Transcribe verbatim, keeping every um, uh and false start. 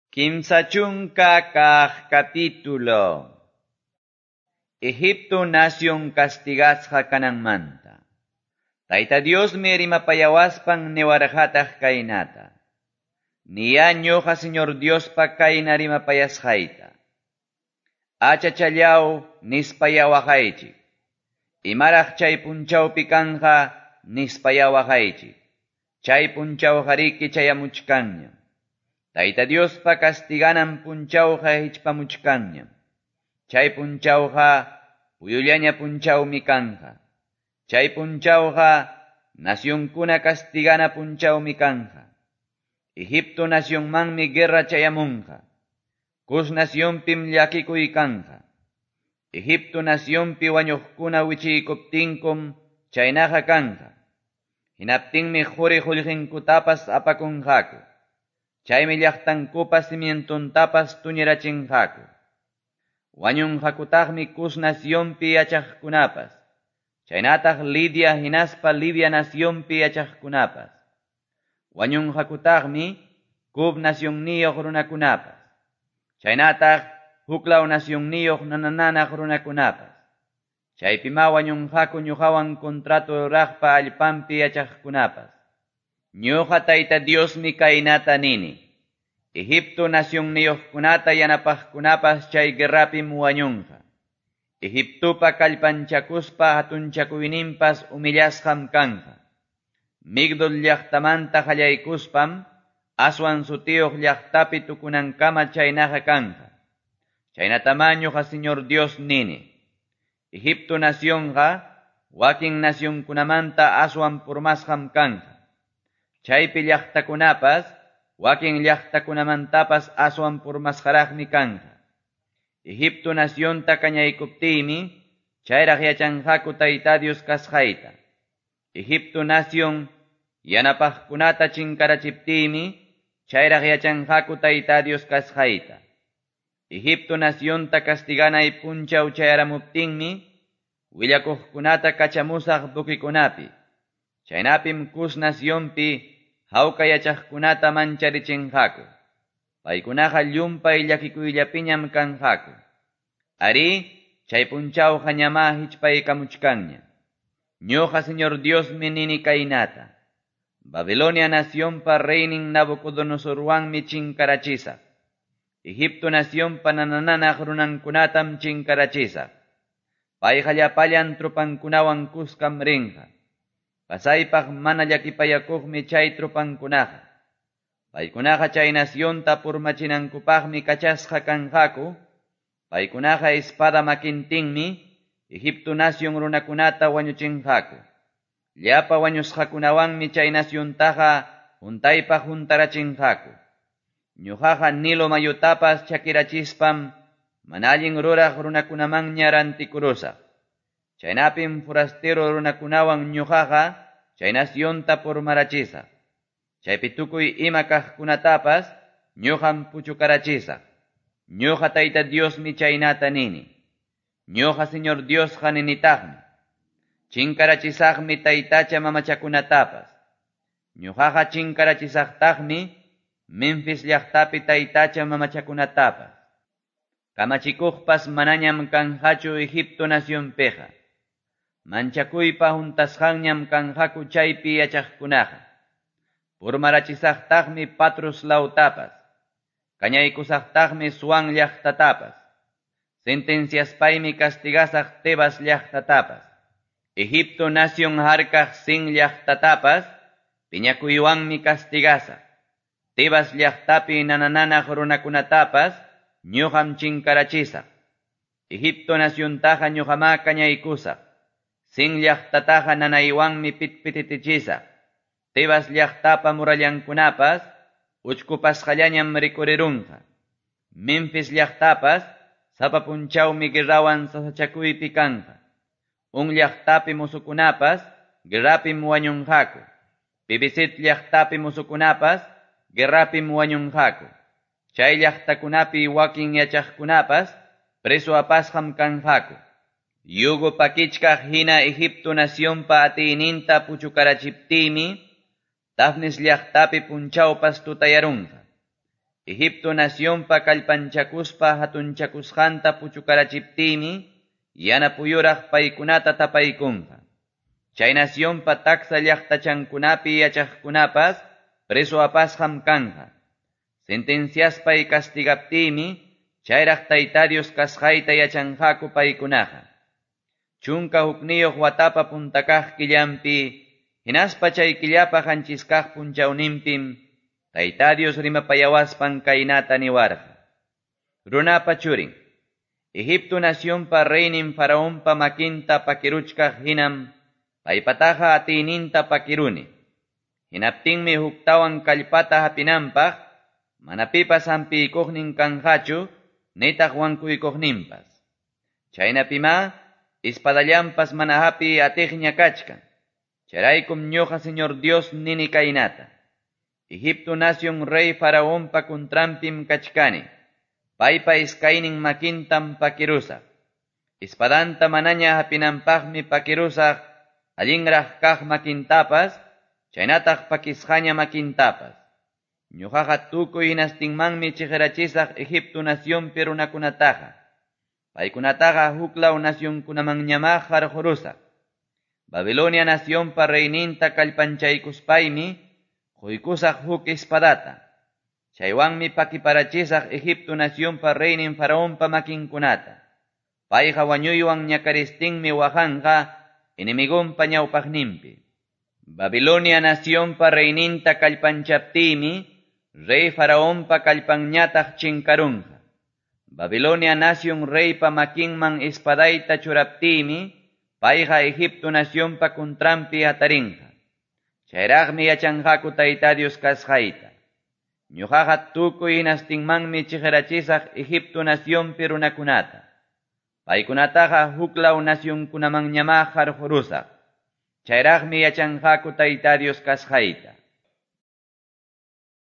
Kimsa chunka kaq capítulo. Egipto nación castigasqa kananmanta. Tayta Diosmi rimapayawaspan niwarqataq kaynata. Niya ñuqa Señor Diospa kayna rimapayasqayta. Achachallaw nispaya waqaychik. Imaraq chay punchawpi kanja nispaya waqaychik. Chay punchawqariki chayamuchkanñam. Tayta Diospa castiganan punchawqa hichpamuchkanñam. Chay punchawqa puyullaña punchawmi kanja. Chay punchawqa nacionkuna castigana punchawmi kanja. Egipto nacionmanmi guerra chayamunqa. Cus nacionpim llakikuy kanja. Egipto nacionpi wañuqkuna wichiykuptinkum chaynaqa kanja. Hinaptinmi quri qullqinkutapas apakunqaku. Chaymi llaqtankupa cimientontapas tuñirachinqaku. Wañunqakutaqmi Cus nacionpi yachaqkunapas. Chaynataq Lidia hinaspa Libia nacionpi yachaqkunapas. Wañunqakutaqmi Cub nacionniyuq runakunapas. Chaynataq huklaw nacionniyuq nanananaq runakunapas. Chaypima wañunqaku ñuqawan contrato ruraqpa allpanpi yachaqkunapas. Ñuqa Tayta Diosmi kaynata nini. Egipto nacionniyuqkunata yanapaqkunapas chay guerrapim wañunqa. Egiptopa kallpanchakuspa hatunchakuyninpas humillasqam kanja. Migdol llaqtamanta qallaykuspam Aswan sutiyuq llaqtapi tukunankama chaynaqa kanja. Chaynatamá ñuqa Señor Dios nini. Egipto nacionqa wakin nacionkunamanta aswan purmasqam kanja. Chaypi llaqtakunapas wakin llaqtakunamantapas aswan purmasqaraqmi kanja. Egipto nacionta kañaykuptiymi chayraq yachanqaku Tayta Dios kasqayta. Egipto nación yanapaqkunata chinkarachiptiymi chayraq yachanqaku Tayta Dios kasqayta. Egipto nacionta castiganay punchaw chayaramuptinmi willakuqkunata kachamusaq buquikunapi. Chaynapim Cus nacionpi hawka yachaqkunata mancharichinqaku. Paykunaqa llumpay llakikuyllapiñam kanqaku. Ari, chay punchawqa ñamá hichpaykamuchkanña. Ñuqa Señor Diosmi nini kaynata. Babilonia nacionpa reynin Nabucodonosorwanmi chinkarachisaq. Egipto nacionpa nanananaq runankunatam chinkarachisaq. Payqa llapallan tropankunawan kuskam rinqa. Pasaypaq mana llakipayakuqmi chay tropankunaqa. Paykunaqa chay nacionta purmachinankupaqmi kachasqa kanqaku. Paykunaqa espada makintinmi Egipto nación runakunata wañuchinqaku. Llapa wañusqakunawanmi chay naciontaqa huntaypaq huntarachinqaku. Ñuqaqa Nilo mayutapas chakirachispam mana allin ruraq runakunamanña rantikurusaq. Chaynapim forastero runakunawan ñuqaqa chay nacionta purmarachisaq. Chaypi tukuy ima kaqkunatapas ñuqam puchukarachisaq. Ñuqa Tayta Diosmi chaynata nini. Ñuqa Señor Diosqa ninitaqmi. Chinkarachisaqmi taytacha mamachakunatapas. Ñuqaqa chinkarachisaqtaqmi Memphis llaqtapi taytacha mamachakunatapas. Kamachikuqpas manañam kanqachu Egipto nacionpiqa. Manchakuypa huntasqanñam kanqaku chaypi yachaqkunaqa. Purmarachisaqtaqmi Patros lawtapas. Kañaykusaqtaqmi Suan llaqtatapas. Sentenciaspaymi castigasaq Tebas llaqtatapas. Egipto nación harkaq Sin llaqtatapas piñakuywanmi castigasaq. Tebas llaqtapi nanananaq runakunatapas ñuqam chinkarachisaq. Egipto naciontaqa ñuqamá kañaykusaq. Sin llaqtataqa nanaywanmi pitpititichisaq. Tebas llaqtapa murallankunapas uchkupasqallañam rikurirunqa. Memphis llaqtapas sapa punchawmi guerrawan sasachakuypi kanja. Un llaqtapi musukunapas guerrapim wañunqaku. Pibisit llaqtapi musukunapas guerrapim wañunqaku. Chay llaqtakunapi wakin yachaqkunapas preso apasqam kanqaku. Yugo pakichkaq hina Egipto nacionpa atiyninta puchukarachiptiymi Tafnis llaqtapi punchawpas tutayarunqa. Egipto nacionpa kallpanchakuspa hatunchakusqanta puchukarachiptiymi, yana puyuraq paykunata tapaykunqa. Chay nacionpa taksa llaqtachankunapi yachaqkunapas preso apasqam kanqa. Sentenciaspay castigaptiymi, chayraq Tayta Dios kasqayta yachanqaku paykunaqa. Chunka hukniyuq watapa punta kaq killanpi, hinaspa chay killapa qanchis kaq punchawninpim, Tayta Dios rimapayawaspan kaynata niwarqa. Runapa churin, Egipto nacionpa reynin Faraonpa makinta pakiruchkaq hinam, paypataqa atiyninta pakiruni. Hinaptinmi huktawan kallpata hapinanpaq, mana pipas hampiykuqnin kanqachu, nitaq wankuykuqninpas. Chaynapimá, espadallanpas mana hapiy atiqña kachkan. Chayraykum ñuqa Señor Dios nini kaynata. Egipto nación rey Faraonpa contranpim kachkani. Paypa iskaynin makintam pakirusaq. Espadanta manaña hapinanpaqmi pakirusaq, allinraq kaq makintapas, chaynataq pakisqaña makintapas. Ñuqaqa tukuy hinastinmanmi chiqirachisaq Egipto nacionpi runakunataqa. Paykunataqa huklaw nacionkunamanñamá qarqurusaq. Babilonia nacionpa reyninta kallpanchaykuspaymi, quykusaq huk espadata. Chaywanmi pakiparachisaq Egipto nacionpa reynin Faraonpa makinkunata. Payqa wañuywan ñakaristinmi waqanqa enemigonpa ñawpaqninpi. Babilonia nacionpa reyninta kallpanchaptiymi, rey Faraonpa kallpanñataq chinkarunqa. Babilonia nación reypa makinman espadayta churaptiymi, payqa Egipto nacionpa contranpi hatarinqa. Chayraqmi yachanqaku Tayta Dios kasqayta. Ñuqaqa tukuy hinastinmanmi chiqirachisaq Egipto nacionpi runakunata. Paykunataqa huklaw nacionkunamanñamá qarqurusaq. Chayraqmi yachanqaku Tayta Dios kasqayta.